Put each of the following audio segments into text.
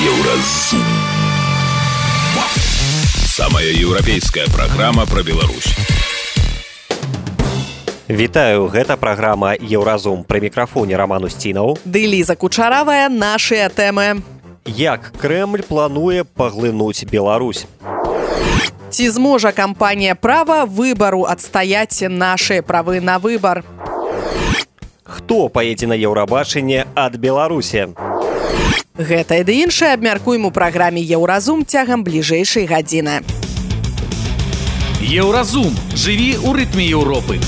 Еўразум. Самая еўрапейская праграма пра Беларусь. Вітаю, гэта праграма «Еўразум». Пры мікрафоне Роман Устінаў. Ды Ліза Кучаравая, нашыя тэмы. Як Крэмль плануе паглынуць Беларусь? Ці зможа кампанія права выбару адстаяць нашы правы на выбар? Хто паедзе на Еўрабачанне ад Беларусі? Гэта і ды іншае абмяркуем у праграме «Еўразум» цягам бліжэйшай гадзіны. Еўразум. Жыві ў рытме Еўропы.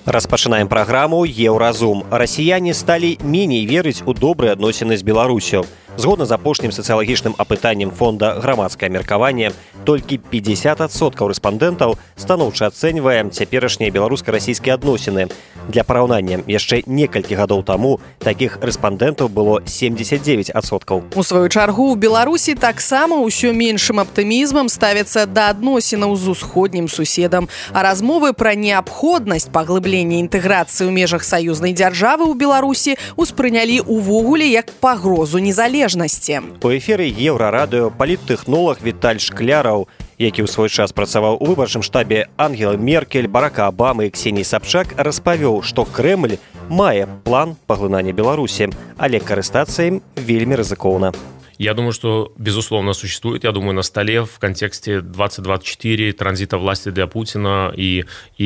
Распачынаем праграму «Еўразум». Расіяне сталі меней верыць у добрыя адносіны з Беларусю. Згодна з апошнім сацыялагічным апытаннем фонда «Грамадскае меркаванне», толькі 50% рэспандэнтаў станоўча ацэньвае цяперашнія беларуска-расійскія адносіны. Для параўнання, яшчэ некалькі гадоў таму такіх рэспандэнтаў было 79%. У сваю чаргу, у Беларусі таксама ўсё меншым аптымізмам ставяцца да адносінаў з усходнім суседам, а размовы пра неабходнасць паглыблення інтэграцыі ў межах саюзнай дзяржавы ў Беларусі ўспрынялі ўвогуле як пагрозу незалежнасці. У эфіры Еўрарадыё паліттэхнолаг Віталь Шкляраў, які ў свой час працаваў у выбарчым штабе Ангелы Меркель, Барака Абамы і Ксеніі Сабчак, распавёў, што Крэмль мае план паглынання Беларусі, але карыстацца ім вельмі рызыкоўна. Я думаю, что, безусловно, существует, я думаю, на столе в контексте 2024, транзита власти для Путина и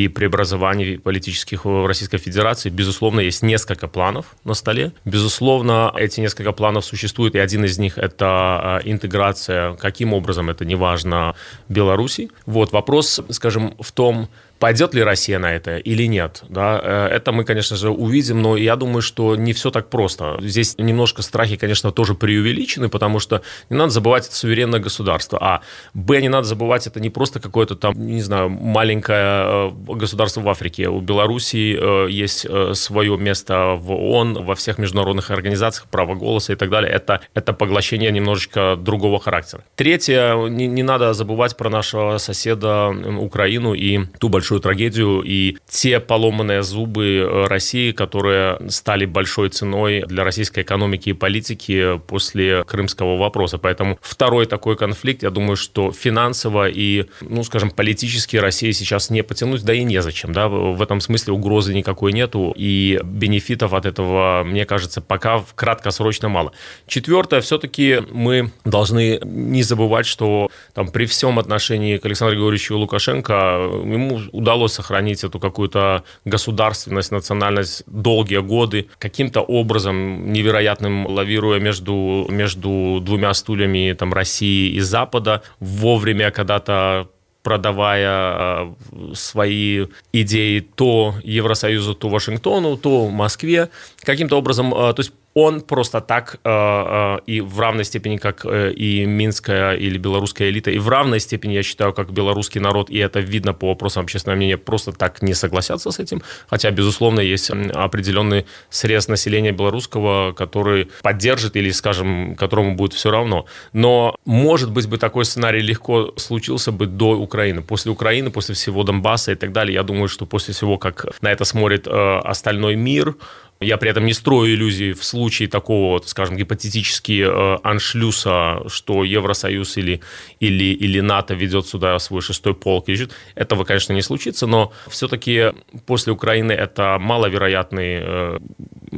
преобразований политических в Российской Федерации, безусловно, есть несколько планов на столе. Безусловно, эти несколько планов существуют, и один из них – это интеграция, каким образом, это неважно, Беларуси. Вот, вопрос, скажем, в том, пойдет ли Россия на это или нет, да, это мы, конечно же, увидим, но я думаю, что не все так просто. Здесь немножко страхи, конечно, тоже преувеличены, потому что не надо забывать, это суверенное государство, а, б, не надо забывать, это не просто какое-то там, не знаю, маленькое государство в Африке. У Белоруссии есть свое место в ООН, во всех международных организациях, право голоса и так далее. Это поглощение немножечко другого характера. Третье, не надо забывать про нашего соседа Украину и ту большую трагедию и те поломанные зубы России, которые стали большой ценой для российской экономики и политики после крымского вопроса. Поэтому второй такой конфликт, я думаю, что финансово и, скажем, политически России сейчас не потянуть, да и незачем. Да? В этом смысле угрозы никакой нету, и бенефитов от этого, мне кажется, пока краткосрочно мало. Четвертое, все-таки мы должны не забывать, что там, при всем отношении к Александру Григорьевичу Лукашенко ему удалось сохранить эту какую-то государственность, национальность долгие годы, каким-то образом невероятным лавируя между двумя стульями там, России и Запада, вовремя когда-то продавая свои идеи то Евросоюзу, то Вашингтону, то Москве, каким-то образом, то есть он просто так и в равной степени, как и минская или белорусская элита, и в равной степени, я считаю, как белорусский народ, и это видно по вопросам общественного мнения, просто так не согласятся с этим. Хотя, безусловно, есть определенный срез населения белорусского, который поддержит или, скажем, которому будет все равно. Но, может быть, бы такой сценарий легко случился бы до Украины. После всего Донбасса и так далее, я думаю, что после всего, как на это смотрит остальной мир, я при этом не строю иллюзий в случае такого, скажем, гипотетически аншлюса, что Евросоюз или НАТО ведет сюда свой шестой полк. Этого, конечно, не случится, но все-таки после Украины это маловероятный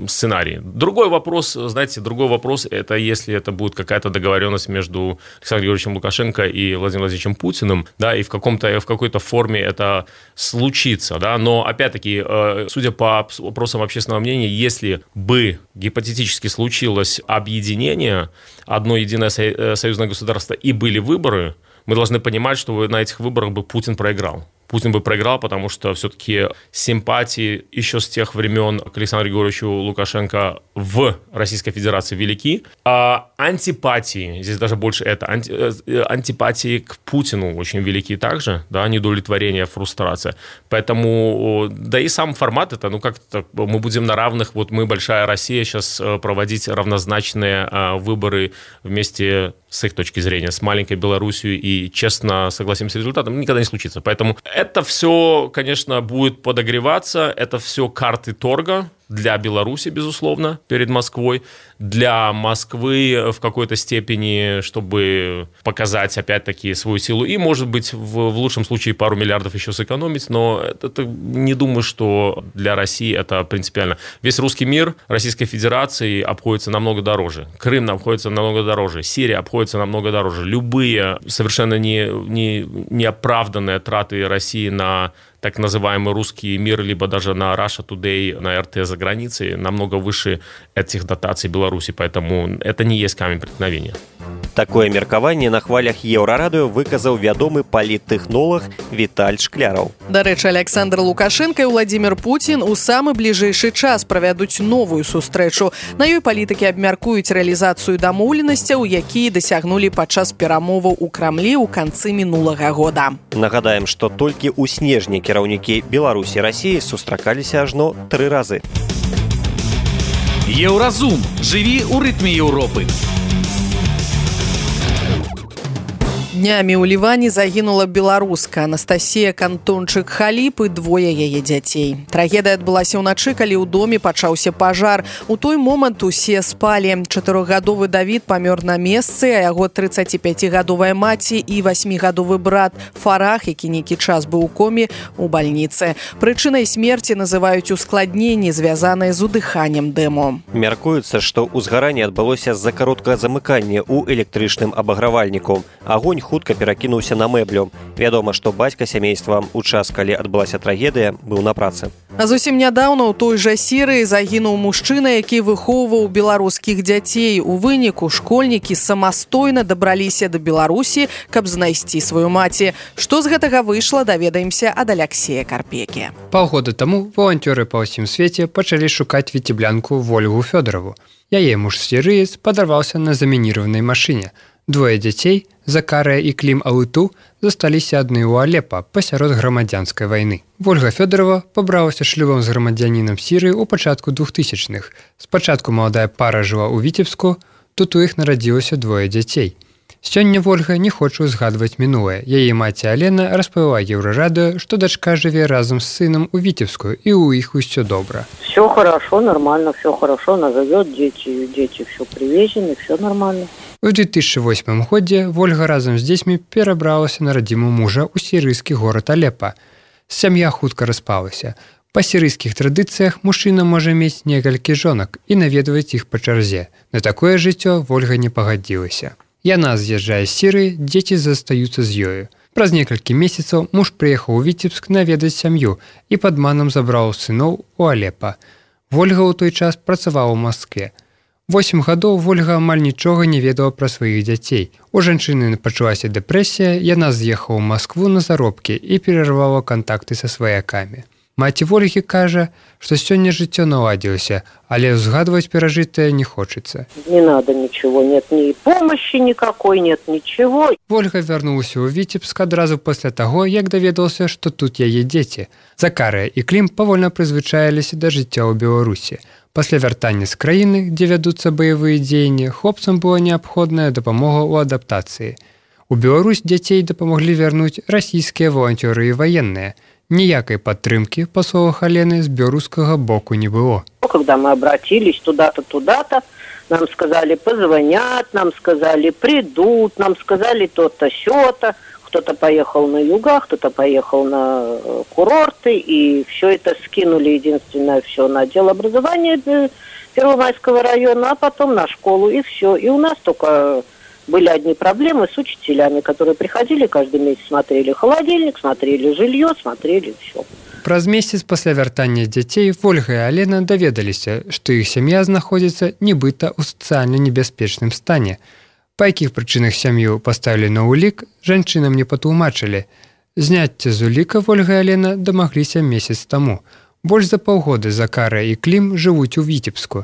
сценарий. Другой вопрос, это если это будет какая-то договоренность между Александром Георгиевичем Лукашенко и Владимиром Владимировичем Путиным, да, и в какой-то форме это случится, да, но, опять-таки, судя по вопросам общественного мнения, если бы гипотетически случилось объединение, одно единое союзное государство и были выборы, мы должны понимать, что на этих выборах бы Путин проиграл. Путин бы проиграл, потому что все-таки симпатии еще с тех времен к Александру Григорьевичу Лукашенко в Российской Федерации велики, а антипатии, здесь даже больше антипатии к Путину очень велики также, да, недовлетворение, фрустрация. Поэтому, да и сам формат это, как-то мы будем на равных, вот мы, большая Россия, сейчас проводить равнозначные выборы вместе с их точки зрения, с маленькой Белоруссией и честно согласимся с результатом, никогда не случится. Поэтому это все, конечно, будет подогреваться, это все карты торга, для Беларуси, безусловно, перед Москвой, для Москвы в какой-то степени, чтобы показать, опять-таки, свою силу, и, может быть, в лучшем случае пару миллиардов еще сэкономить, но это не думаю, что для России это принципиально. Весь русский мир Российской Федерации обходится намного дороже. Крым обходится намного дороже. Сирия обходится намного дороже. Любые совершенно неоправданные траты России на так называемый русский мир, либо даже на Russia Today, на РТ за границей, намного выше этих дотаций Беларуси, поэтому это не есть камень преткновения. Такое меркаванне на хвалях Еўрарадыё выказаў вядомы паліттэхнолаг Віталь Шкляраў. Дарэчы, Александр Лукашенко і Владимир Путин у самы бліжэйшы час правядуць новую сустрэчу. На ёй палітыкі абмяркуюць рэалізацыю дамоўленасцяў, якія дасягнулі падчас перамоваў у Крамлі ў канцы мінулага года. Нагадаем, што толькі ў снежні кіраўнікі Беларусі і Расіі сустракаліся ажно 3 разы. Еўразум. Жыві ў рытме Еўропы. Днямі ў Ліване загінула беларуска Анастасія Кантончык-Халіп і 2 яе дзяцей. Трагедыя адбылася ўначы, калі ў доме пачаўся пажар. У той момант усе спалі. 4-гадовы Давід памёр на месцы, а яго 35-гадовая маці і 8-гадовы брат Фарах, які нейкі час быў у коме, у бальніцы. Прычынай смерці называюць ускладненні, звязаныя з удыханнем дыму. Мяркуецца, што ўзгаранне адбылося з-за кароткага замыкання ў электрычным абагравальніку. Агонь хутка перакінуўся на мэблю. Вядома, што бацька сямейства ў час, калі адбылася трагедыя, быў на працы. А зусім нядаўна ў той жа Сірыі загінуў мужчына, які выхоўваў беларускіх дзяцей. У выніку школьнікі самастойна дабраліся да Беларусі, каб знайсці сваю маці. Што з гэтага выйшла, даведаемся ад Аляксея Карпекі. Паўгода таму валанцёры па ўсім свеце пачалі шукаць віцеблянку Вольгу Фёдорову. Яе муж сірыец падарваўся на замінірованай машыне. 2 дзяцей, Закарыя і Клім Алыту, засталіся адны ў Алепа пасярод грамадзянскай вайны. Вольга Фёдорова пабралася шлюбам з грамадзянінам Сірыі ў пачатку 2000-х. Спачатку маладая пара жыла ў Віцебску, тут у іх нарадзілася 2 дзяцей. Сёння Вольга не хоча ўзгадваць мінулае. Яе маці Алена распавяла Еўрарадыё, што дачка жыве разам з сынам у Віцебску, і ў іх усё добра. Все хорошо, нормально, все хорошо, она живет, дети все привезены, все нормально. У 2008 годзе Вольга разам з дзецьмі перабралася на радзіму мужа ў сірыйскі горад Алепа. Сям'я хутка распалася. Па сірыйскіх традыцыях мужчына можа мець некалькі жонак і наведваць іх па чарзе. На такое жыццё Вольга не пагадзілася. Яна з'язджае з Сірыі, дзеці застаюцца з ёю. Праз некалькі месяцаў муж прыехаў у Віцебск наведаць сям'ю і падманам забраў сыноў у Алепа. Вольга ў той час працавала ў Маскве. 8 гадоў Вольга амаль нічога не ведала пра сваіх дзяцей. У жанчыны пачалася дэпрэсія, яна з'ехала ў Маскву на заробкі і перарвала кантакты са сваякамі. Маці Вольгі кажа, што сёння жыццё наладзілася, але узгадваць перажытае не хочацца. Не надо ничего, нет ни помощи никакой, нет ничего. Вольга вярнулася ў Віцебск адразу пасля таго, як даведаўся, што тут яе дзеці. Закарыя і Клім павольна прызвычаіліся да жыцця ў Беларусі. Пасля вяртання з краіны, дзе вядуцца баявыя дзеянні, хлопцам была неабходная дапамога ў адаптацыі. У Беларусь дзяцей дапамаглі вярнуць расійскія валанцёры і ваенныя. Ніякай падтрымкі, па словах Алены, з беларускага боку не было. Когда мы обратились туда-то, нам сказали, позвонят, нам сказали, придут, нам сказали то-то, сё-то. Кто-то поехал на юга, кто-то поехал на курорты, и все это скинули, единственное, все на отдел образования Первомайского района, а потом на школу, и все. И у нас только были одни проблемы с учителями, которые приходили каждый месяц, смотрели холодильник, смотрели жилье, смотрели все. Праз месяц пасля вяртання дзяцей Вольга і Алена даведаліся, што іх сям'я знаходзіцца нібыта ў сацыяльна небяспечным стане. Па якіх прычынах сям'ю паставілі на ўлік, жанчынам не патлумачылі. Зняцце з уліка Вольга і Алена дамагліся месяц таму. Больш за паўгода Закарыя і Клім жывуць у Віцебску.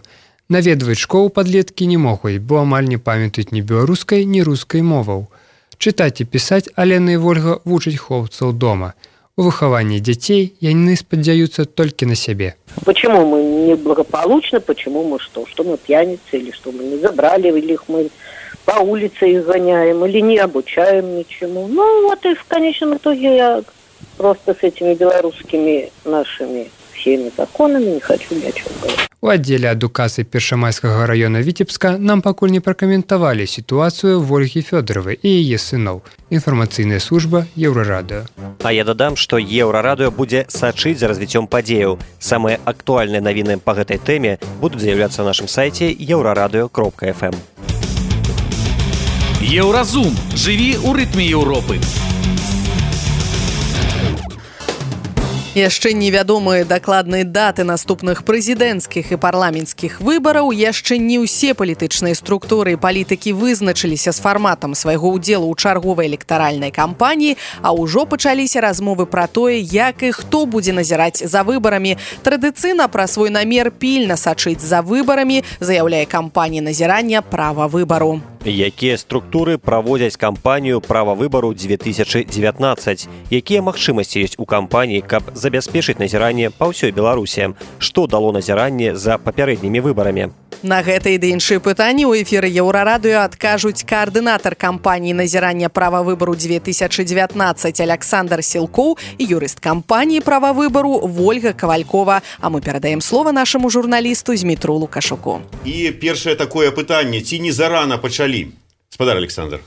Наведваць школу падлеткі не могуць, бо амаль не памятаюць ні беларускай, ні рускай моваў. Чытаць і пісаць Алена і Вольга вучаць хлопцаў дома. У выхаванні дзяцей яны спадзяюцца толькі на сябе. Почему мы неблагополучны, почему мы что? Что мы пьяницы, или что мы не забрали, или их мы по улице их гоняем, или не обучаем ничему. Ну вот и в конечном итоге я просто с этими белорусскими нашими всеми законами, не хочу ни о чем говорить. У аддзеле адукацыі Першамайскага района Віцебска нам пакуль не пракаментавалі сітуацыю Вольгі Фёдоравай і яе сыноў. Інфармацыйная служба Еўрарадыё. А я дадам, што Еўрарадыё будзе сачыць за развіццём падзеяў. Самыя актуальныя навіны па гэтай тэме будуць з'яўляцца на нашым сайце euraradio.fm. Еўразум. Жыві ў рытме Еўропы. Яшчэ невядомыя дакладныя даты наступных прэзідэнцкіх і парламенцкіх выбараў, яшчэ не ўсе палітычныя структуры і палітыкі вызначыліся з фарматам свайго ўдзелу ў чарговай электаральнай кампаніі, а ўжо пачаліся размовы пра тое, як і хто будзе назіраць за выбарамі. Традыцыйна пра свой намер пільна сачыць за выбарамі заяўляе кампанія назірання права выбару. Якія структуры праводзяць кампанію права выбару 2019? Якія магчымасці ёсць у кампаніі, каб забяспечыць назіранне па ўсёй Беларусі? Што дало назіранне за папярэднімі выбарамі? На гэтыя ды іншыя пытанні ў эфіры Еўрарадыё адкажуць каардынатар кампаніі назірання права выбару 2019 Александр Сілкоў і юрыст кампаніі права выбару Вольга Кавалькова. А мы перадаем слова нашаму журналісту Змітру Лукашуку. І першае такое пытанне, ці не зарана пачалі? Спадар Александр.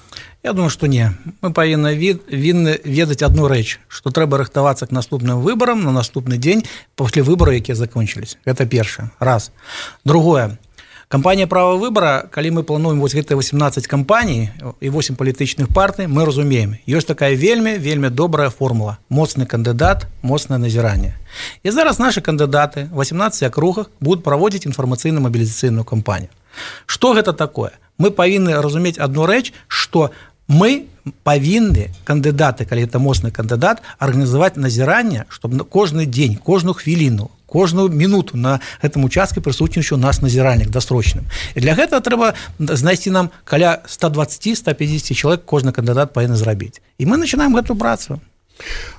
Я думаю, што не. Мы павінны ведаць адну рэч, што трэба рыхтавацца к наступным выбарам на наступны дзень пасля выбараў, якія закончылись. Гэта першае. Раз. Другое. Кампанія права выбара, калі мы плануем вось гэтыя 18 кампаній і 8 палітычных партый, мы разумеем, ёсць такая вельмі добрая формула. Моцны кандыдат, моцнае назіранне. І зараз нашы кандыдаты в 18 акругах будуць праводзіць інфармацыйна-мабілізацыйную кампанію. Што гэта такое? Мы павінны разумець адну рэч, што мы павінны кандыдаты, калі гэта моцны кандыдат, арганізаваць назіранне, чтобы кожны дзень, кожную хвіліну, кожную минуту на гэтым участке прысутнічаў у нас назіральнік дасрочным. І для гэтага трэба знайсці нам каля 120-150 чалавек кожны кандыдат павінны зрабіць. І мы начинаем гэтую працу.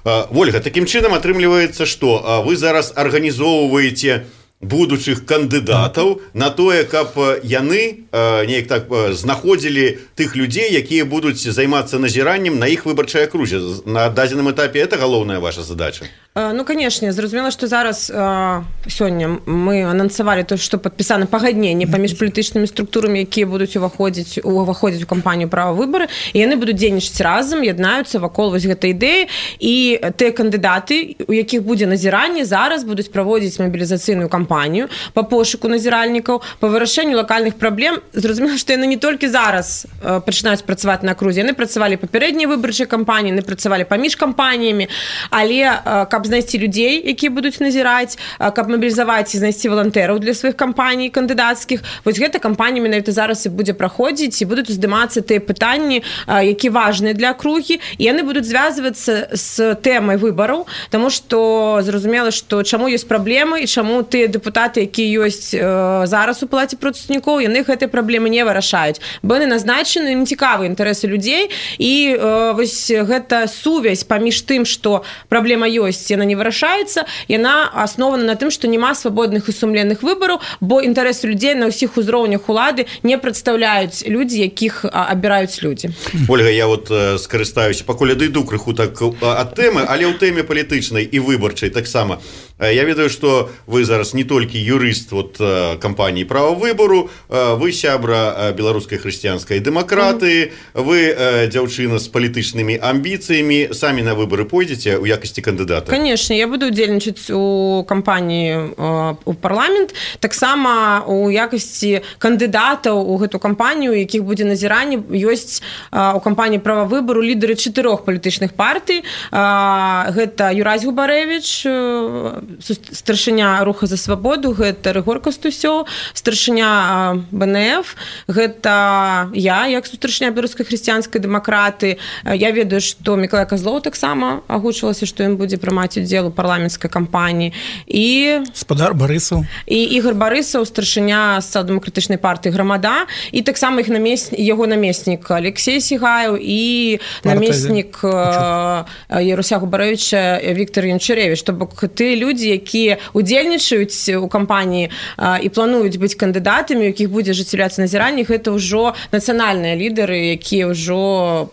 Вольга, такім чынам атрымліваецца, што вы зараз арганізоўваеце будучых кандыдатаў на тое, каб яны неяк так знаходзілі тых людзей, якія будуць займацца назіраннем на іх выбарчай акрузе. На дадзеным этапе это галоўная ваша задача? Ну, конечно, зразумела, што зараз сёння мы анансавалі то, што падпісана пагадненне паміж палітычнымі структурамі, якія будуць уваходзіць у кампанію права выбары, і яны будуць дзейнічаць разам, яднаюцца вакол вось гэтай ідэі, і тыя кандыдаты, у якіх будзе назіранне, зараз будуць праводзіць мабілізацыйную кампанію па пошуку назіральнікаў, па вырашэнню лакальных праблем. Зразумела, што яны не толькі зараз пачынаюць працаваць на акрузе, яны працавалі папярэднія выбарчыя кампаніі, яны працавалі паміж кампаніямі, але каб знайсці людзей, якія будуць назіраць, каб мабілізаваць і знайсці валантэраў для сваіх кампаній кандыдацкіх. Вось гэта кампанія менавіта зараз і будзе праходзіць, і будуць уздымацца тыя пытанні, якія важныя для акругі, і яны будуць звязвацца з тэмай выбараў, таму што зразумела, што чаму ёсць праблемы і чаму тыя дэпутаты, якія ёсць зараз у палаце прадстаўнікоў, яны гэтыя праблемы не вырашаюць, бо яны назначаны, ім цікавы інтарэсы людзей, і вось гэта сувязь паміж тым, што праблема ёсць, яна не вырашаецца, яна аснована на тым, што няма свабодных і сумленных выбараў, бо інтарэсы людзей на ўсіх узроўнях улады не прадстаўляюць людзі, якіх абіраюць людзі. Ольга, я вот скарыстаюся, пакуль адыду крыху так ад тэмы, але ў тэме палітычнай і выбарчай таксама. Я ведаю, што вы зараз не толькі юрыст кампаніі права выбару, вы сябра беларускай хрысціянскай дэмакратыі, вы дзяўчына з палітычнымі амбіцыямі, самі на выбары пойдзеце ў якасці кандыдата? Конечно, я буду удзельнічаць у кампаніі у парламент, таксама у якасці кандыдатаў у гэту кампанію, у якіх будзе назіранне, ёсць у кампаніі права выбару лідары 4 палітычных партый. Гэта Юрась Губарэвіч, старшыня Руха за свабоду, гэта Рыгор Кастусёў, старшыня БНФ, гэта я, як старшыня беларускай хрысціянскай дэмакраты. Я ведаю, што Мікалай Казлоў таксама агучвалася, што ён будзе прымаць удзел у парламенцкай кампаніі. І спадар Барысаў. І Ігор Барысаў, старшыня сацыял-дэмакратычнай партыі Грамада, і таксама яго намеснік Алексей Сігаеў і намеснік Яруся Губарэвіча Віктор Янчарэвіч. То бок тыя людзі, людзі, якія удзельнічаюць у кампаніі і плануюць быць кандыдатамі, у якіх будзе ажыццяўляцца назіранне, гэта ўжо нацыянальныя лідары, якія ўжо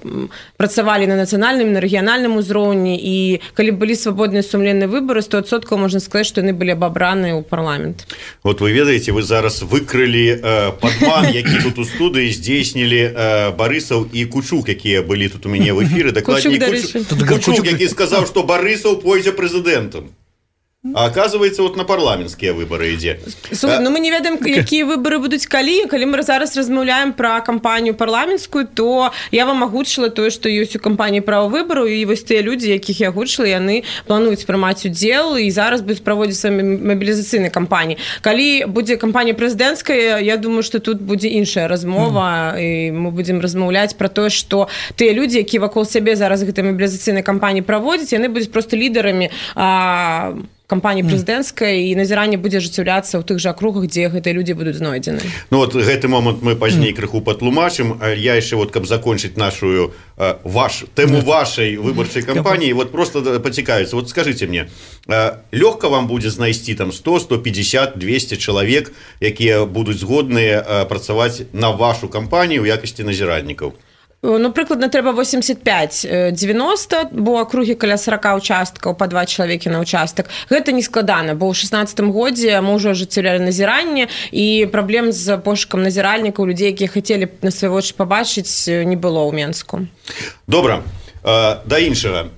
працавалі на нацыянальным, на рэгіянальным узроўні, і калі былі свабодныя сумленныя выбары, 100% можна сказаць, што яны былі абабраныя ў парламент. Вот вы ведаеце, вы зараз выкрылі падман, які тут у студыі здзейснілі Барысаў і Кучук, якія былі тут у мяне в эфіры. Дакладней, Кучук, які сказаў, што Барысаў пойдзе прэзідэнтам. А оказывается, вот на парламенцкія выбары ідзе. Слухай, ну мы не ведаем, якія выбары будуць калі. Калі мы зараз размаўляем пра кампанію парламенцкую, то я вам агучыла тое, што ёсць у кампаніі права выбару, і вось тыя людзі, якіх я агучыла, яны плануюць прымаць удзел і зараз будуць праводзіць свае мабілізацыйныя кампаніі. Калі будзе кампанія прэзідэнцкая, я думаю, што тут будзе іншая размова, і мы будзем размаўляць пра тое, што тыя людзі, якія вакол сябе зараз гэтай мабілізацыйнай кампаніі праводзяць, яны будуць проста лідарамі кампаніі прэзідэнцкай, і назіранне будзе ажыццяўляцца ў тых жа акругах, дзе гэтыя людзі будуць знойдзены. Ну вот гэты момант мы пазней крыху патлумачым. Я яшчэ вот, каб закончыць нашу тэму вашай выбарчай кампаніі, вот просто пацікавіцца. Вот скажыце мне, лёгка вам будзе знайсці там 100, 150, 200 чалавек, якія будуць згодныя працаваць на вашу кампанію ў якасці назіраннікаў? Ну, прыкладна, трэба 85-90, бо акругі каля 40 участкаў, па 2 чалавекі на участак. Гэта не складана, бо ў 16-м годзе мы ўжо ажыццяўлялі назіранне, і праблем з пошукам назіральнікаў, людзей, якія хацелі на свае вочы пабачыць, не было ў Менску. Добра. Да іншага.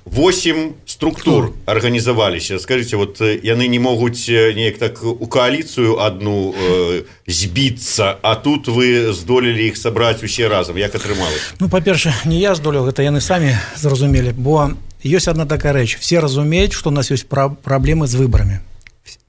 8 структур арганізаваліся. Скажыце, вот яны не могуць неяк так у кааліцыю адну збіцца, а тут вы здолелі іх сабраць усе разам. Як атрымалася? Ну, па-перша, не я здолеў, гэта яны самі зразумелі, бо ёсць одна такая рэч. Все разумеюць, што у нас ёсць праблемы з выбарамі.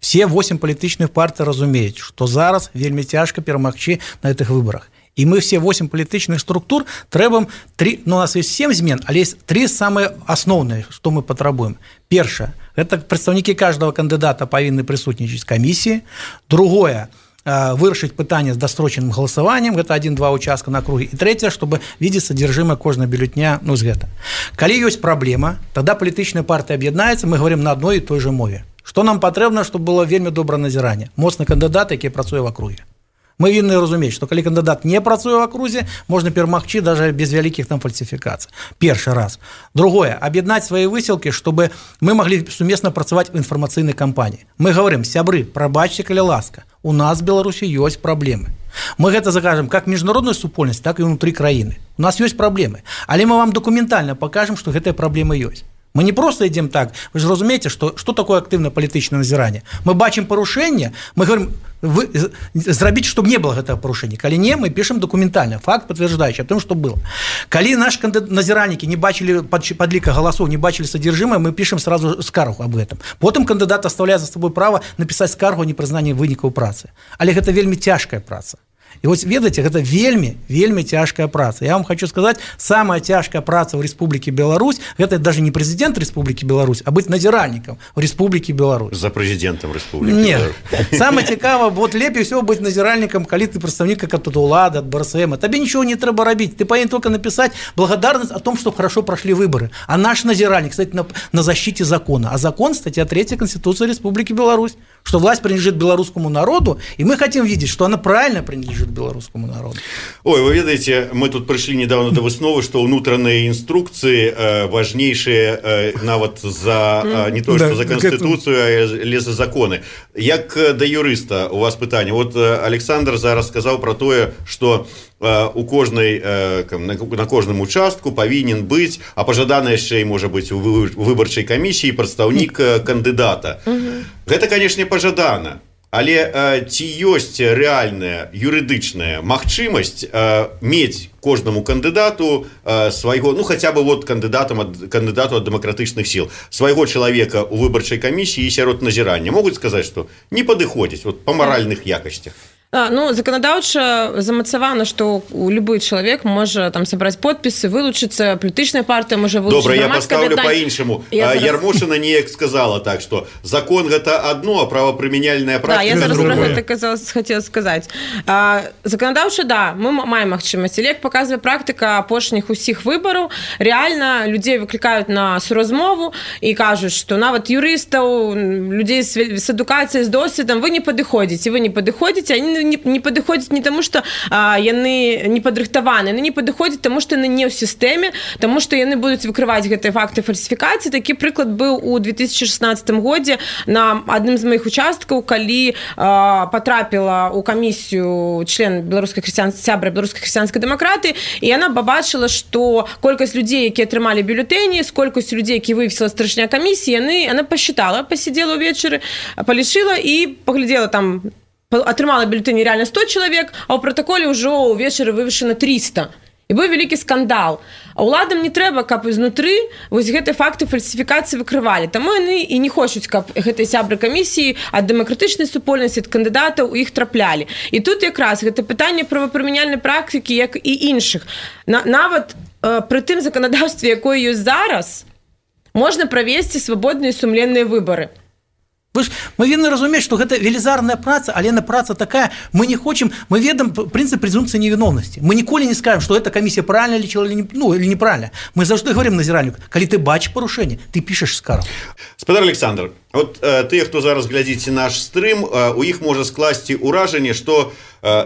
Все 8 палітычных партый разумеюць, што зараз вельмі цяжка перамагчы на гэтых выбарах. И мы все 8 палітычных структур трэбам 3, ну, у нас есть 7 змен, але есть 3 самые основные, что мы патрабуем. Першае, это прадстаўнікі каждого кандидата павінны прысутнічаць камісіі. Другое, вырашыць пытанне з дасрочаным галасаваннем, гэта 1-2 участка на округе. И третье, чтобы видеть содержимое кожнага бюллетня, ну, з гэта. Калі ёсць праблема, тогда палітычная партыя аб'яднаецца, мы говорим на одной и той же мове. Што нам патрэбна, чтобы было вельмі добрае назіранне? Моцны кандыдат, які працуе в округе. Мы вінны разумець, што калі кандыдат не працуе ў акрузе, можна перамагчы даже без вялікіх там фальсіфікацый. Першы раз. Другое, аб'яднаць свае высілкі, чтобы мы маглі сумесна працаваць у інфармацыйнай кампаніі. Мы говорим, сябры, прабачце, калі ласка, у нас в Беларусі ёсць праблемы. Мы гэта закажем как міжнародную супольнасць, так і ўнутры краіны. У нас ёсць праблемы, але мы вам дакументальна пакажам, што гэтыя праблемы ёсць. Мы не просто идем так, вы же разумеете, что такое активное политическое назирание. Мы бачим порушение, мы говорим, зрабіць, чтобы не было гэтага парушэння. Калі не, мы пишем документально, факт подтверждающий о том, что было. Калі наши назиральники не бачили подлика голосов, не бачили содержимое, мы пишем сразу скаргу об этом. Потом кандидат оставляет за собой право написать скаргу о непрызнанні вынікаў працы. Але гэта вельмі цяжкая праца. І вось ведаеце, гэта вельмі цяжкая праца. Я вам хочу сказаць, самая цяжкая праца ў Рэспублікі Беларусь, гэта даже не прэзідэнт Рэспублікі Беларусь, а быць назіральнікам у Рэспублікі Беларусь. За прэзідэнтам Рэспублікі Беларусь. Нет. Самое цікава, вот лепей всего быць назіральнікам, калі ты прадстаўнік ад улады, ад БРСМ. Табе нічого не трэба рабіць. Ты павінен только написать благодарность о том, что хорошо прошли выборы. А наш назиральник, кстати, на защите закона. А закон, статья 3 Конституции Республики Беларусь, что власть принадлежит белорусскому народу, и мы хотим видеть, что она правильно принадлежит белорусскому народу. Ой, вы ведаете, мы тут пришли недавно до высновы, что внутренние инструкции важнейшие нават за не то, что за Конституцию, а за законы. Як до юриста у вас питание. Вот Александр зараз сказал про то, что у кожнай, на кожным участку павінен быць, а пажадана яшчэ і можа быць у выбарчай камісіі прадстаўнік кандыдата. Гэта, канешне, пажадана. Але ці ёсць рэальная юрыдычная магчымасць мець кожнаму кандыдату свайго, ну хаця бы вот кандыдату ад дэмакратычных сіл, свайго чалавека ў выбарчай камісіі і сярод назірання? Могуць сказаць, што не падыходзіць вот, па маральных якасцях? Заканадаўча замацавана, што любы чалавек можа там сабраць подпісы, вылучыцца, палітычная партыя можа вылучыць. Добра, я паставлю па-іншаму. Ярмошына неяк сказала так, што закон гэта адно, а правапрымяняльная практыка другое. Да, я зараз другое. про гэта хацела сказаць. Заканадаўча, да, мы маем магчымасць. Але, як паказвае практыка апошніх усіх выбараў, рэальна людзей выклікаюць на суразмову і кажуць, што нават юрыстаў, людзей з адукацыяй, з досведам, вы не падыходзіце, они не падыходзяць не таму, што яны не падрыхтаваны, яны не падыходзяць таму, што яны не ў сістэме, таму, што яны будуць выкрываць гэтыя факты фальсіфікацыі. Такі прыклад быў у 2016 годзе на адным з маіх участкаў, калі патрапіла ў камісію член сябра беларускай хрысціянскай дэмакратыі, і яна пабачыла, што колькасць людзей, якія атрымалі бюлетэні, з колькасцю людзей, які вывесіла старшыня камісіі, яна пасчытала, пасидзела ўвечары, палічыла і паглядзела там, атрымала бюлетэні реально 100 чалавек, а ў пратаколе ўжо ўвечары вывешана 300. І быў вялікі скандал. А ўладам не трэба, каб ізнутры вось гэтыя факты фальсіфікацыі выкрывалі. Таму яны і не хочуць, каб гэтыя сябры камісіі ад дэмакратычнай супольнасці, ад кандыдатаў у іх траплялі. І тут якраз гэта пытанне правапрымяняльнай практыкі, як і іншых. Нават пры тым заканадаўстве, якое ёсць зараз, можна правесці свабодныя і сумленныя выбары. Мы павінны разумець, што гэта велізарная праца, але яна праца такая, мы не хочам, мы ведаем прынцып прэзумпцыі невіновнасці. Мы ніколі не скажем, што эта камісія правильно лічыла или неправильно. Мы заўжды говорим назіральніку, калі ты бачыш парушэнне, ты пішаш скаргу. Спадар Александр, от тыя, хто зараз глядзіце наш стрым, у іх можа скласці ўражанне, што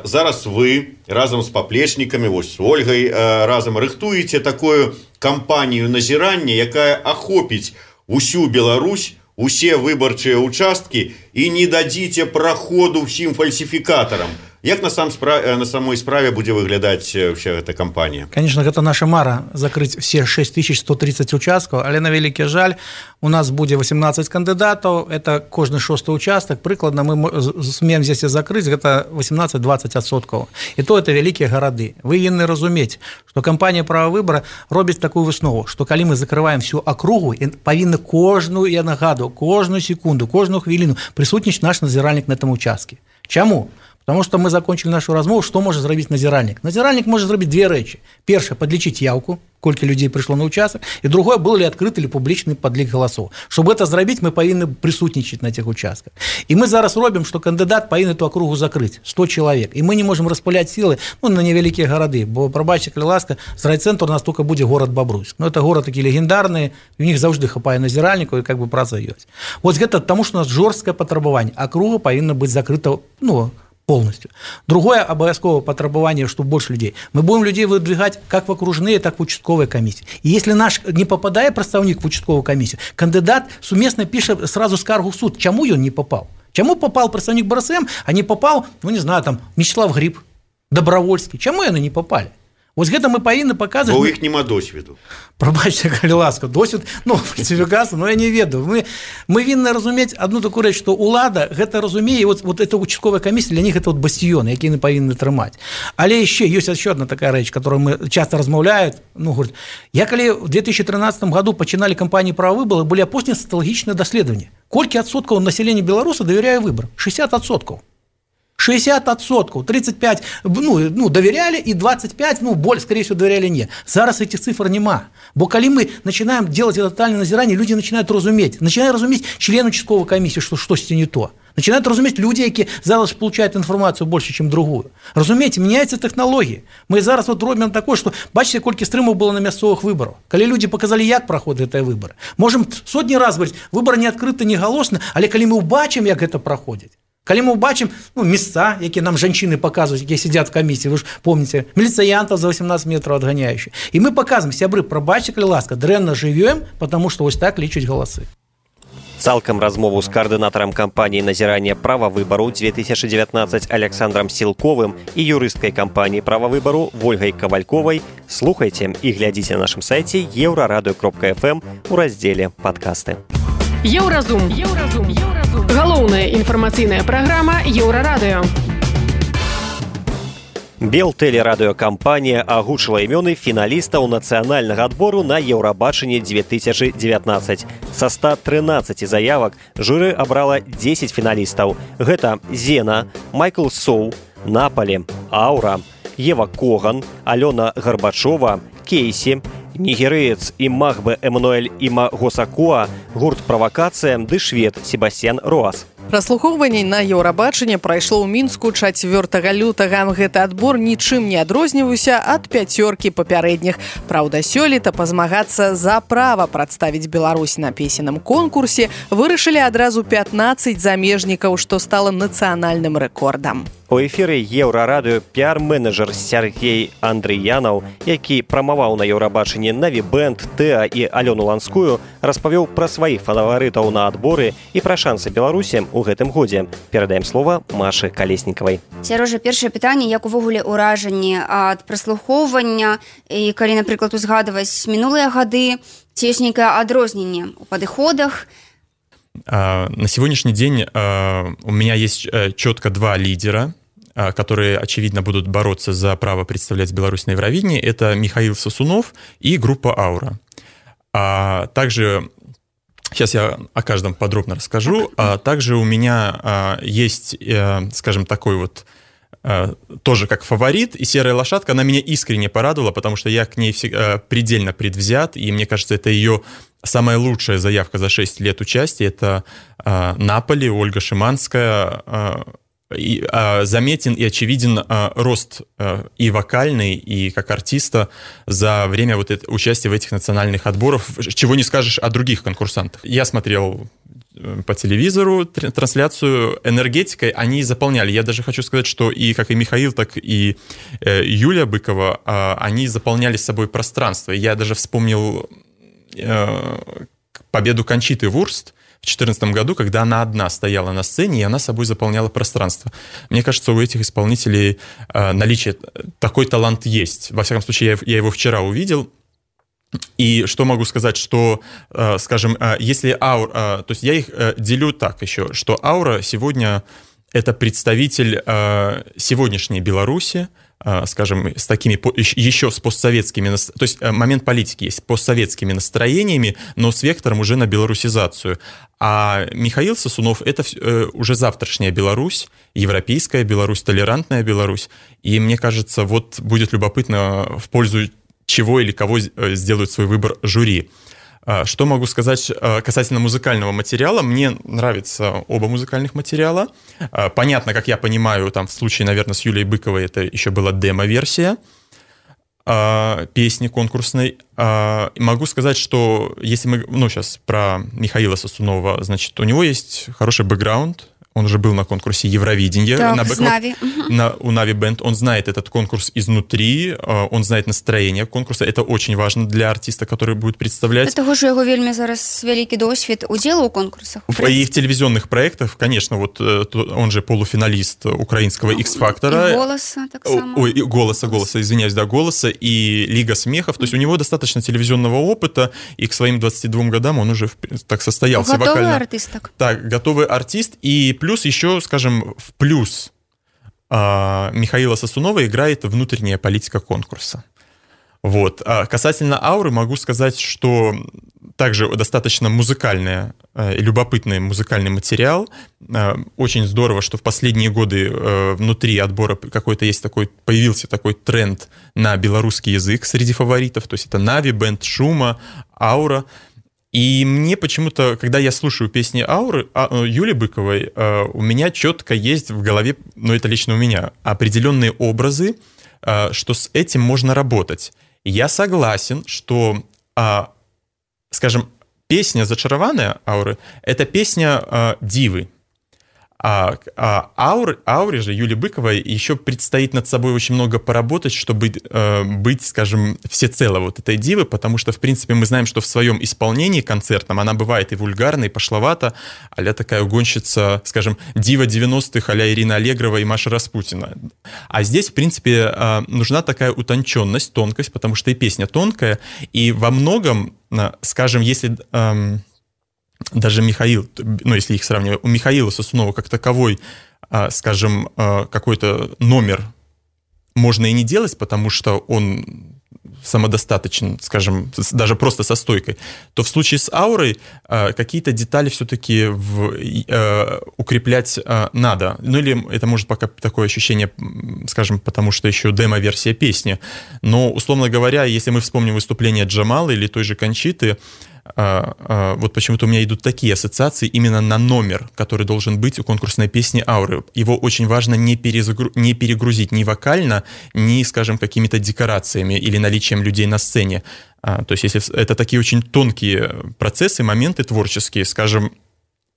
зараз вы разам з паплечнікамі, вось з Ольгай разам рыхтуеце такую кампанію назірання, якая ахопіць усю Беларусь, усе выбарчыя участкі і не дадзіце праходу ўсім фальсіфікатарам. Як на самой справе будзе выглядаць вся эта кампанія? Конечно, гэта наша мара закрыць все 6130 участкаў, але на вялікі жаль, у нас будзе 18 кандыдатаў, это кожны 6 участак, прыкладна мы смеем здесь закрыць, гэта 18-20%. І то это вялікія гарады. Вы павінны разумець, што кампанія права выбара робіць такую выснову, што калі мы закрываем всю акругу, павінны кожную, я нагадую, кожную секунду, кожную хвіліну прысутнічаць наш назіральнік на этом участке. Чаму? Потому что мы закончили нашу размову, что может зрабіць назіральнік. Назіральнік может зрабіць две рэчы. Першае, подлічыць яўку, колькі людзей прыйшло на участок, і другое, был ли открыт или публічны подлік галасоў. Чтобы это зрабіць, мы павінны прысутнічаць на этих участках. І мы зараз робім, што кандыдат павінен эту акругу закрыць 100 чалавек. І мы не можем распыляць сілы на невялікія гарады, бо, прабачце, калі ласка, з райцэнтру у нас только будзе горад Бабруйск. Но это город такі легендарны, у них заўжды хапае назіральнікаў, і как бы праца ёсць. Вот гэта таму, што у нас жорсткае патрабаванне. Акруга павінна быць закрыта, полностью. Другое обовязковое потребование, что больше людей. Мы будем людей выдвигать как в окружные, так и в участковые комиссии. И если наш не попадает представник в участковую комиссию, кандидат суместно пишет сразу скаргу в суд. Чему он не попал? Чему попал представник БРСМ, а не попал, не знаю, там, Мячеслав Гриб, Добровольский? Чему они не попали? Вось гэта мы павінны паказваць. Бо ў іх няма досведу. Прабачце, калі ласка, досвед, фальсіфікацыя, я не ведаю. Мы павінны разумець одну такую рэч, што ўлада гэта разумее, вот эта участковая камісія для них это бастіён, які яны павінны трымаць. Але яшчэ ёсць еще одна такая рэч, которую мы часто размаўляют. Говорят, я калі в 2013 году пачыналі кампанію права выбора, былі апошнія сацыялагічныя даследаванні. Колькі адсоткаў населення Беларуси давяряе выборам? 60%. 60%, 35, доверяли, и 25, скорее всего, доверяли не. Зараз этих цифр нема. Бо калі мы начинаем делать это тотальное назирание, люди начинают разуметь член участковой комиссии, что что-то не то. Начинают разуметь люди, які зараз получают информацию больше, чем другую. Разумеете, меняются технологии. Мы зараз робим такое, что, бачите, колькі стрымаў было на мясцовых выборах. Калі люди показали, як проходят эти выборы. Можем сотни раз говорить, выборы не открыты, не галосны, але калі мы убачим, як это проходит. Калі мы бачым месца, якія нам жанчыны паказваюць, якія сядзяць в камісіі, вы ж помните, міліцыянтаў за 18 метров адганяючых. І мы паказваем, сябры, прабачце, калі ласка, дрэнна жывём, потому што вось так лічаць галасы. Цалкам размову з каардынатарам кампаніі назірання права выбару 2019 Александром Сілковым і юрысткай кампаніі права выбару Ольгай Кавальковай слухайце і глядзіце на нашым сайце еўрарадыё.фм у раздзеле «Падкасты». Еўразум. Галоўная інфармацыйная праграма Еўрарадыё. Белтэлерадыёкампанія агучыла імёны фіналістаў нацыянальнага адбору на Еўрабачанне 2019. Са 113 заявак журы абрала 10 фіналістаў. Гэта Зена, Майкл Соу, Наполі, Аура, Ева Коган, Алена Горбачова, Кейсі, нігерыец Имахбе Эммануэль Имагосакуа, гурт «Правакацыя» ды швед Себастьян Роас. Праслухоўванне на Еўрабачанне прайшло ў Мінску 4 лютага. Гэты адбор нічым не адрозніваўся ад 5 папярэдніх. Праўда, сёлета пазмагацца за права прадставіць Беларусь на песенным конкурсе вырашылі адразу 15 замежнікаў, што стала нацыянальным рэкордам. У эфіры Еўрарадыё піар-менеджер Сергей Андрыянаў, які прамаваў на Еўрабачанні Наві Бэнд, Тэа і Алёну Ланскую, распавёў пра сваіх фаварытаў на адборы і пра шансы Беларусі ў гэтым годзе. Перадаем слова Машы Калеснікавай. Сярожа, першае пытанне, як увогуле ўражанне ад праслухоўвання, і калі, напрыклад, узгадваць мінулыя гады, ці ёсць нейкае адрозненне ў падыходах? На сегодняшний день у меня есть четко 2 лидера, которые, очевидно, будут бороться за право представлять Беларусь на Евровидении. Это Михаил Сосунов и группа «Аура». Также, сейчас я о каждом подробно расскажу, также у меня есть, скажем, такой вот тоже как фаворит, и «Серая лошадка», она меня искренне порадовала, потому что я к ней предельно предвзят, и мне кажется, это ее самая лучшая заявка за 6 лет участия. Это Наполи, Ольга Шиманская. Заметен и очевиден рост и вокальный, и как артиста за время вот участия в этих национальных отборах, чего не скажешь о других конкурсантах. Я смотрел по телевизору трансляцию, энергетикой они заполняли. Я даже хочу сказать, что и как и Михаил, так и Юлия Быкова, они заполняли с собой пространство. Я даже вспомнил победу Кончиты Вурст в 2014 году, когда она одна стояла на сцене, и она собой заполняла пространство. Мне кажется, у этих исполнителей наличие, такой талант есть. Во всяком случае, я его вчера увидел. И что могу сказать, что, скажем, если Аура... То есть я их делю так еще, что Аура сегодня это представитель сегодняшней Беларуси, скажем, с такими еще с постсоветскими, то есть момент политики есть, постсоветскими настроениями, но с вектором уже на белорусизацию. А Михаил Сосунов — это уже завтрашняя Беларусь, европейская Беларусь, толерантная Беларусь. И мне кажется, вот будет любопытно, в пользу чего или кого сделают свой выбор жюри. Что могу сказать касательно музыкального материала? Мне нравятся оба музыкальных материала. Понятно, как я понимаю, там в случае, наверное, с Юлией Быковой это еще была демо-версия песни конкурсной. Могу сказать, что если мы, сейчас про Михаила Сосунова, значит, у него есть хороший бэкграунд. Он уже был на конкурсе Евровидения. У Нави Бэнд. Он знает этот конкурс изнутри, он знает настроение конкурса. Это очень важно для артиста, который будет представлять. Того ж його вельми зараз великий досвід уділу у конкурсах. И в телевизионных проектах, конечно, вот он же полуфиналист украинского X-фактора. И «Голоса» так само. Ой, «Голоса», извиняюсь, да, «Голоса» и «Лига смехов». То есть у него достаточно телевизионного опыта, и к своим 22 годам он уже так состоялся. Готовый артист. Так, готовый артист. И плюс еще, скажем, в плюс Михаила Сосунова играет внутренняя политика конкурса. Вот. Касательно «Ауры» могу сказать, что также достаточно музыкальный, любопытный музыкальный материал. Очень здорово, что в последние годы внутри отбора какой-то есть такой, появился такой тренд на белорусский язык среди фаворитов. То есть это Нави, Бэнд, Шума, «Аура». И мне почему-то, когда я слушаю песни Ауры, Юли Быковой, у меня четко есть в голове, это лично у меня, определенные образы, что с этим можно работать. Я согласен, что, скажем, песня «Зачарованная» Ауры — это песня дивы. Ауре же, Юлии Быковой, еще предстоит над собой очень много поработать, чтобы быть, скажем, всецело вот этой дивы, потому что, в принципе, мы знаем, что в своем исполнении концертном она бывает и вульгарна, и пошловата, а-ля такая угонщица, скажем, дива 90-х, а-ля Ирина Аллегрова и Маша Распутина. А здесь, в принципе, нужна такая утонченность, тонкость, потому что и песня тонкая, и во многом, скажем, если... Даже Михаил, если их сравнивать, у Михаила Сосунова как таковой, скажем, какой-то номер можно и не делать, потому что он самодостаточен, скажем, даже просто со стойкой, то в случае с аурой какие-то детали все-таки укреплять надо. Ну или это может пока такое ощущение, скажем, потому что еще демо-версия песни. Но, условно говоря, если мы вспомним выступление Джамалы или той же Кончиты, вот почему-то у меня идут такие ассоциации именно на номер, который должен быть у конкурсной песни «Ауры». Его очень важно не перегрузить ни вокально, ни, скажем, какими-то декорациями или наличием людей на сцене. То есть если это такие очень тонкие процессы, моменты творческие, скажем,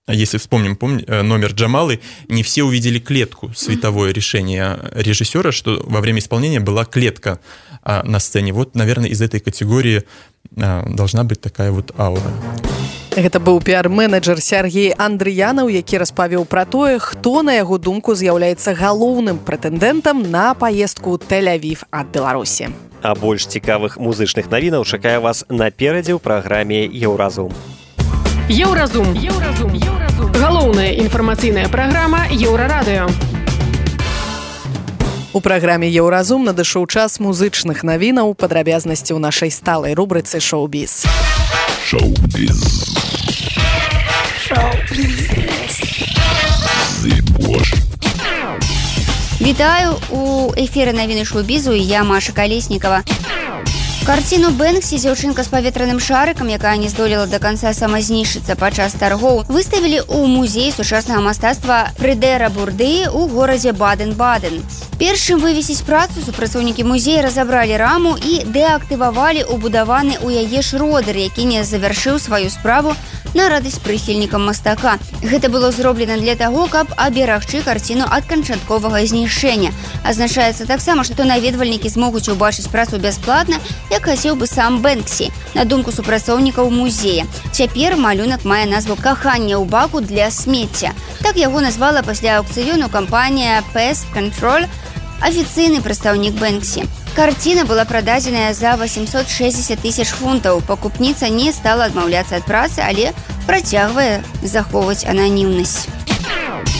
если вспомним номер Джамалы, не все увидели клетку, световое решение режиссера, что во время исполнения была клетка на сцене. Вот, наверное, из этой категории должна быть такая вот аура. Гэта быў піар-менеджер Сергей Андрыянаў, які распавёў пра тое, хто, на яго думку, з'яўляецца галоўным прэтэндэнтам на паездку ў Тель-Авів ад Беларусі. А больш цікавых музычных навінаў чакае вас наперадзе ў праграме «Еўразум». Еўразум. Галоўная інфармацыйная праграма Еўрарадыё. У праграме «Еўразум» надышоў час музычных навінаў, падрабязнасці ў нашай сталай рубрыцы «Шоу-біз». Шоу-біз. Вітаю, у эфіры навіны шоу-бізу, я Маша Калеснікава. Карціну Бэнксі «Дзяўчынка з паветраным шарыкам», якая не здолела да канца самазнішчыцца падчас таргоў, выставілі ў музеі сучаснага мастацтва Фрыдэра Бурды ў горадзе Баден-Баден. Перш чым вывесіць працу, супрацоўнікі музея разабралі раму і дэактывавалі ўбудаваны ў яе шродер, які не завяршыў сваю справу на радасць прыхільнікам мастака. Гэта было зроблена для таго, каб аберагчы карціну ад канчатковага знішчэння. Азначаецца таксама, што наведвальнікі змогуць убачыць працу бясплатна, як хацеў бы сам Бэнксі, на думку супрацоўнікаў музея. Цяпер малюнак мае назву «Каханне ў баку для смецця». Так яго назвала пасля аукцыёну кампанія Pest Control, афіцыйны прадстаўнік Бэнксі. Карціна была прададзеная за 860 тысяч фунтаў. Пакупніца не стала адмаўляцца ад працы, але працягвае захоўваць ананімнасць.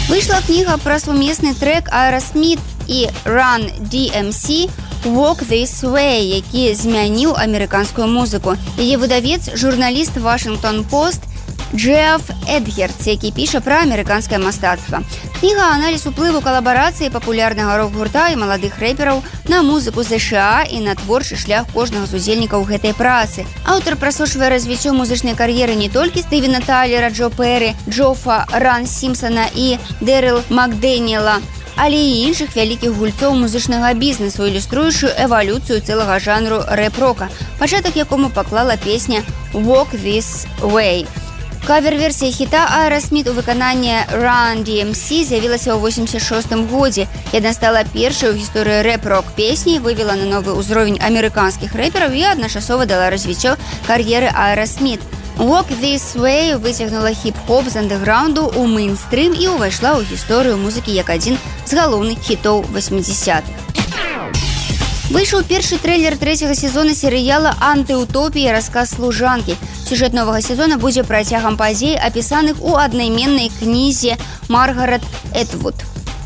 Выйшла кніга пра сумесны трэк Aerosmith і Run DMC «Walk This Way», які змяніў амерыканскую музыку. Яе выдавец – журналіст Washington Post Джеф Эдгерц, які піша пра амерыканскае мастацтва. Кніга – аналіз уплыву калабарацыі папулярнага рок-гурта і маладых рэпераў на музыку США і на творчы шлях кожнага з удзельнікаў гэтай працы. Аўтар праслушвае развіццё музычнай кар'еры не толькі Стывена Тайлера, Джо Перрі, Джофа Ран Сімпсона і Дэрыл Макдэніела, але і іншых вялікіх гульцоў музычнага бізнесу, ілюструючую эвалюцыю цэлага жанру рэп-рока, пачатак якому паклала песня «Walk This Way». Кавер-версія хіта Aerosmith у выкананні Run DMC з'явілася ў 86 годзе. Яна стала першай у гісторыі рэп-рок песні, вывела на новы ўзровень амерыканскіх рэпераў і адначасова дала развіццё кар'еры Aerosmith. «Walk This Way» выцягнула хіп-хоп з андэграунду ў мейнстрым і ўвайшла ў гісторыю музыкі як адзін з галоўных хітоў 80-х. Выйшаў першы трэйлер трэцяга сезона серыяла «Антыутопія. Расказ служанкі». Сюжэт новага сезона будзе працягам падзей, апісаных у аднайменнай кнізе Маргарет Этвуд.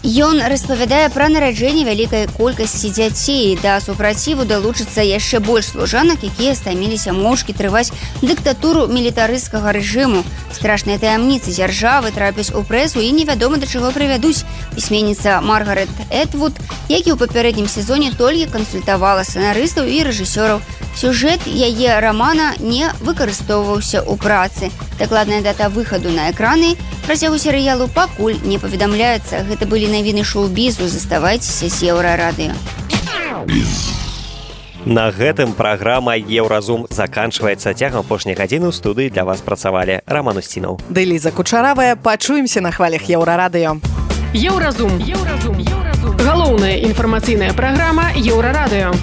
Ён распавядае пра нараджэнне вялікай колькасці дзяцей. Да супраціву далучыцца яшчэ больш служанак, якія стаміліся моўчкі трываць дыктатуру мілітарысцкага рэжыму. Страшныя таямніцы дзяржавы трапяць у прэсу і невядома да чаго прывядуць. Пісьменніца Маргарет Этвуд, які ў папярэднім сезоне толькі кансультавала сцэнарыстаў і рэжысёраў. Сюжэт яе рамана не выкарыстоўваўся ў працы. Дакладная дата выхаду на экраны працягу серыялу пакуль не паведамляецца. Гэта былі навіны шоу-бізу. Заставайцеся з Еўрарадыё. На гэтым праграма «Еўразум» заканчваецца. Цягам апошняй гадзіны ў студыі для вас працавалі Роман Устінаў. Ды Ліза Кучаравая. Пачуемся на хвалях Еўрарадыё. Еўразум. Галоўная інфармацыйная праграма Еўрарадыё.